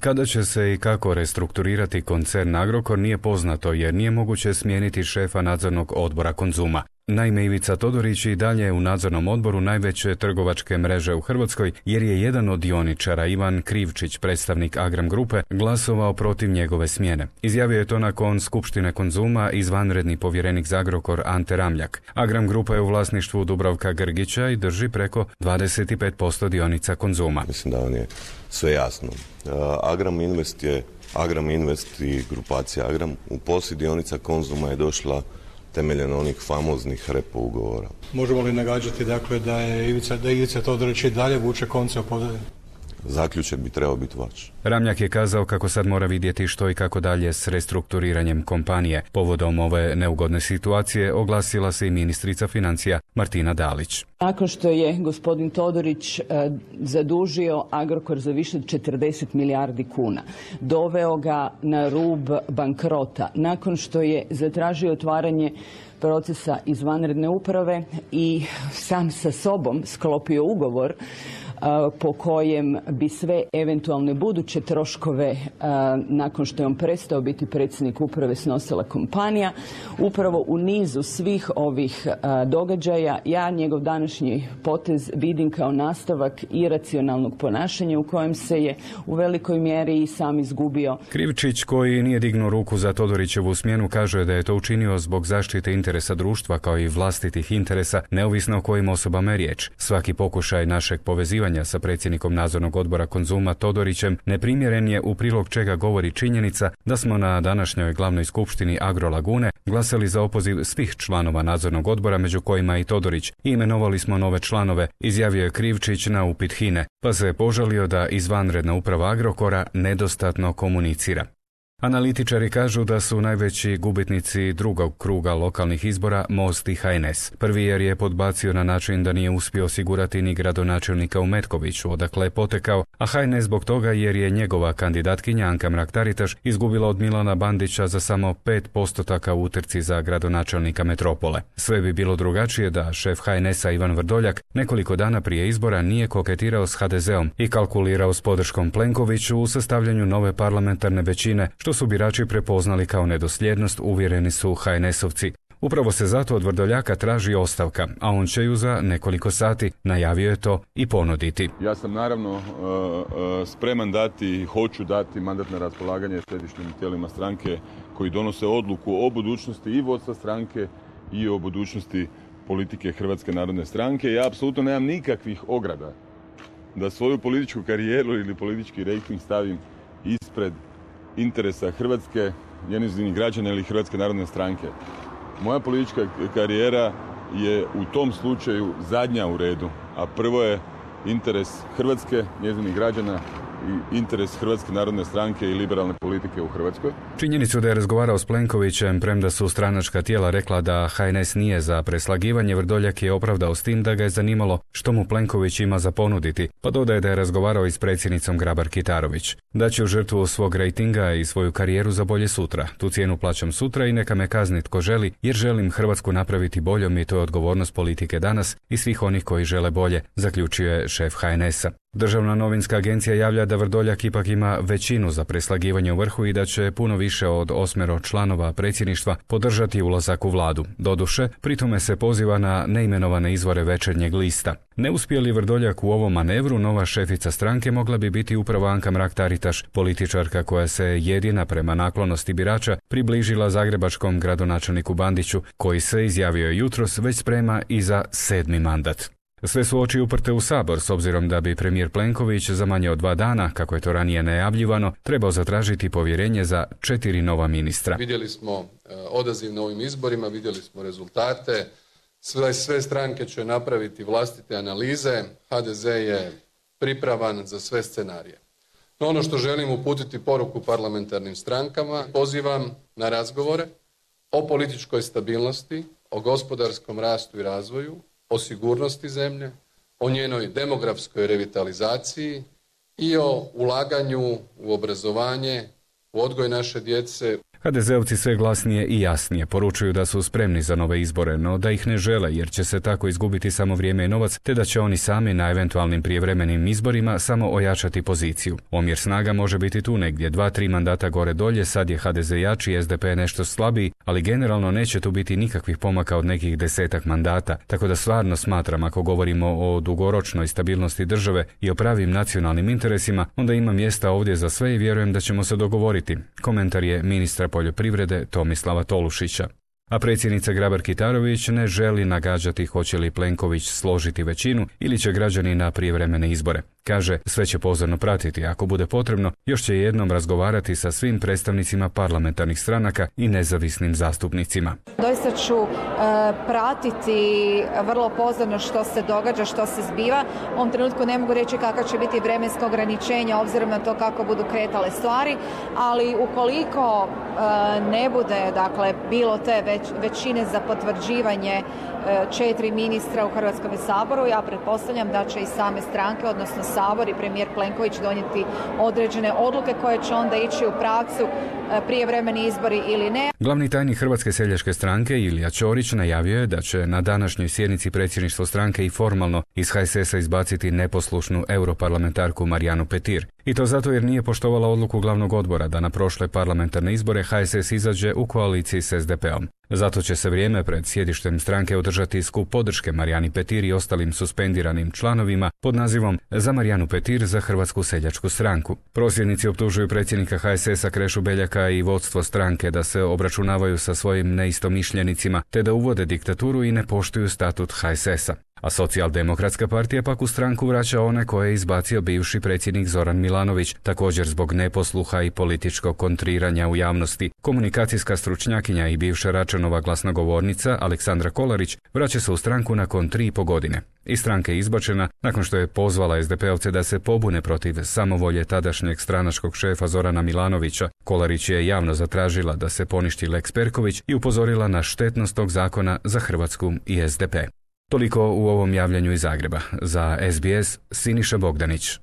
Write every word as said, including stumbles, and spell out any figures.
Kada će se i kako restrukturirati koncern Agrokor nije poznato jer nije moguće smijeniti šefa nadzornog odbora Konzuma. Naime, Ivica Todorić i dalje je u nadzornom odboru najveće trgovačke mreže u Hrvatskoj jer je jedan od dioničara, Ivan Krivčić, predstavnik Agram Grupe, glasovao protiv njegove smjene. Izjavio je to nakon skupštine Konzuma izvanredni povjerenik za Agrokor Ante Ramljak. Agram Grupa je u vlasništvu Dubravka Grgića i drži preko dvadeset pet posto dionica Konzuma. Mislim da vam je sve jasno. Agram Invest je Agram Invest i grupacija Agram u posjed dionica Konzuma je došla temeljem onih famoznih repo ugovora. Možemo li nagađati dakle da je Ivica, da Ivica Todorić i dalje vuče konce o pozadini? Zaključak bi trebao biti vaš. Ramljak je kazao kako sad mora vidjeti što i kako dalje s restrukturiranjem kompanije. Povodom ove neugodne situacije oglasila se i ministrica financija Martina Dalić. Nakon što je gospodin Todorić eh, zadužio Agrokor za više od četrdeset milijardi kuna, doveo ga na rub bankrota, nakon što je zatražio otvaranje procesa izvanredne uprave i sam sa sobom sklopio ugovor po kojem bi sve eventualne buduće troškove nakon što je on prestao biti predsjednik uprave snosila kompanija. Upravo u nizu svih ovih događaja ja njegov današnji potez vidim kao nastavak iracionalnog ponašanja u kojem se je u velikoj mjeri i sam izgubio. Krivčić, koji nije dignuo ruku za Todorićevu smjenu, kaže da je to učinio zbog zaštite interesa društva kao i vlastitih interesa, neovisno o kojim osobama je riječ. Svaki pokušaj našeg povezivanja sa predsjednikom nadzornog odbora Konzuma Todorićem neprimjeren je, u prilog čega govori činjenica da smo na današnjoj glavnoj skupštini Agrolagune glasali za opoziv svih članova nadzornog odbora, među kojima i Todorić. I imenovali smo nove članove, izjavio je Krivčić na upit HINA-e, pa se je požalio da izvanredna uprava Agrokora nedostatno komunicira. Analitičari kažu da su najveći gubitnici drugog kruga lokalnih izbora Most i H N S. Prvi jer je podbacio na način da nije uspio osigurati ni gradonačelnika u Metkoviću, odakle je potekao, a H N S zbog toga jer je njegova kandidatkinja Anka Mrak-Taritaš izgubila od Milana Bandića za samo pet postotaka u utrci za gradonačelnika metropole. Sve bi bilo drugačije da šef H N S-a Ivan Vrdoljak nekoliko dana prije izbora nije koketirao s H D Z-om i kalkulirao s podrškom Plenkoviću u sastavljanju nove parlamentarne većine, što su birači prepoznali kao nedosljednost, uvjereni su H N S-ovci. Upravo se zato od Vrdoljaka traži ostavka, a on će ju za nekoliko sati, najavio je to, i ponuditi. Ja sam naravno spreman dati i hoću dati mandat na raspolaganje središnjim tijelima stranke koji donose odluku o budućnosti i vodstva stranke i o budućnosti politike Hrvatske narodne stranke. Ja apsolutno nemam nikakvih ograda da svoju političku karijeru ili politički rejting stavim ispred interesa Hrvatske, njezinih građana ili Hrvatske narodne stranke. Moja politička karijera je u tom slučaju zadnja u redu, a prvo je interes Hrvatske, njezinih građana i interes Hrvatske narodne stranke i liberalne politike u Hrvatskoj. Činjenicu da je razgovarao s Plenkovićem, premda su stranačka tijela rekla da H N S nije za preslagivanje, Vrdoljak je opravdao s tim da ga je zanimalo što mu Plenković ima za ponuditi, pa dodaje da je razgovarao i s predsjednicom Grabar-Kitarović. Da će u žrtvu svog rejtinga i svoju karijeru za bolje sutra. Tu cijenu plaćam sutra i neka me kazni tko želi, jer želim Hrvatsku napraviti boljom i to je odgovornost politike danas i svih onih koji žele bolje, zaključio je šef H N S-a. Državna novinska agencija javlja da Vrdoljak ipak ima većinu za preslagivanje u vrhu i da će puno više od osmero članova predsjedništva podržati ulazak u vladu. Doduše, pritome se poziva na neimenovane izvore Večernjeg lista. Ne uspije li Vrdoljak u ovom manevru, nova šefica stranke mogla bi biti upravo Anka Mrak-Taritaš, političarka koja se jedina prema naklonosti birača približila zagrebačkom gradonačelniku Bandiću, koji se, izjavio jutros, već sprema i za sedmi mandat. Sve su oči uprte u Sabor, s obzirom da bi premijer Plenković za manje od dva dana, kako je to ranije najavljivano, trebao zatražiti povjerenje za četiri nova ministra. Vidjeli smo odaziv na ovim izborima, vidjeli smo rezultate, sve, sve stranke će napraviti vlastite analize, H D Z je pripravan za sve scenarije. No ono što želim uputiti poruku parlamentarnim strankama, pozivam na razgovore o političkoj stabilnosti, o gospodarskom rastu i razvoju, o sigurnosti zemlje, o njenoj demografskoj revitalizaciji i o ulaganju u obrazovanje, u odgoj naše djece. ha de zeovci sve glasnije i jasnije poručuju da su spremni za nove izbore, no da ih ne žele jer će se tako izgubiti samo vrijeme i novac, te da će oni sami na eventualnim prijevremenim izborima samo ojačati poziciju. Omjer snaga može biti tu negdje, dva, tri mandata gore dolje, sad je ha de ze jači, es de pe nešto slabiji, ali generalno neće tu biti nikakvih pomaka od nekih desetak mandata, tako da stvarno smatram ako govorimo o dugoročnoj stabilnosti države i o pravim nacionalnim interesima, onda ima mjesta ovdje za sve i vjerujem da ćemo se dogovoriti. Komentar je ministra poljoprivrede Tomislava Tolušića. A predsjednica Grabar-Kitarović ne želi nagađati hoće li Plenković složiti većinu ili će građani na prijevremene izbore. Kaže, sve će pozorno pratiti, ako bude potrebno, još će jednom razgovarati sa svim predstavnicima parlamentarnih stranaka i nezavisnim zastupnicima. Doista ću e, pratiti vrlo pozorno što se događa, što se zbiva. U ovom trenutku ne mogu reći kakva će biti vremensko ograničenje obzirom na to kako budu kretale stvari, ali ukoliko e, ne bude dakle, bilo te već, većine za potvrđivanje e, četiri ministra u Hrvatskom saboru, ja pretpostavljam da će i same stranke, odnosno Sabor i premijer Plenković donijeti određene odluke koje će onda ići u pravcu prijevremeni izbori ili ne. Glavni tajnik Hrvatske seljačke stranke Ilija Ćorić najavio je da će na današnjoj sjednici predsjedništvo stranke i formalno iz ha es es a izbaciti neposlušnu europarlamentarku Marijanu Petir. I to zato jer nije poštovala odluku glavnog odbora da na prošle parlamentarne izbore ha es es izađe u koaliciji s es de peom. Zato će se vrijeme pred sjedištem stranke održati skup podrške Marijani Petir i ostalim suspendiranim članovima pod nazivom Za Marijanu Petir za Hrvatsku seljačku stranku. Prosvjednici optužuju predsjednika ha es es a Krešu Beljaka i vodstvo stranke da se obračunavaju sa svojim neistomišljenicima te da uvode diktaturu i ne poštuju statut ha es es a. A Socijaldemokratska partija pak u stranku vraća one koje je izbacio bivši predsjednik Zoran Milanović, također zbog neposluha i političkog kontriranja u javnosti. Komunikacijska stručnjakinja i bivša Račanova glasnogovornica Aleksandra Kolarić vraća se u stranku nakon tri i po godine. Iz stranke je izbačena nakon što je pozvala es de peovce da se pobune protiv samovolje tadašnjeg stranačkog šefa Zorana Milanovića. Kolarić je javno zatražila da se poništi Lex Perković i upozorila na štetnost tog zakona za Hrvatsku i es de pe. Toliko u ovom javljanju iz Zagreba. Za es be es, Siniša Bogdanić.